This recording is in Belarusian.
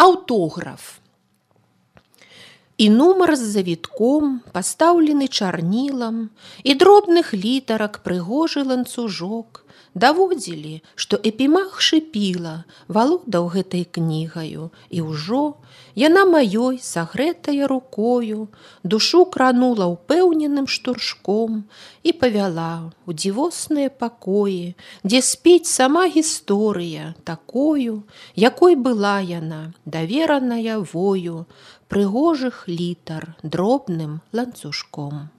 Аўтограф. І нумар з завітком, пастаўлены чарнілам, і дробных літарак прыгожы ланцужок даводзілі, што Эпімах шыпіла, валодаў гэтай кнігаю, і ўжо яна маёй, сагрэтая рукою, душу кранула ўпэўненым штуршком і павяла ў дзівосныя пакоі, дзе спіць сама гісторыя такою, якой была яна, давераная вою, прыгожых літар дробным ланцужком.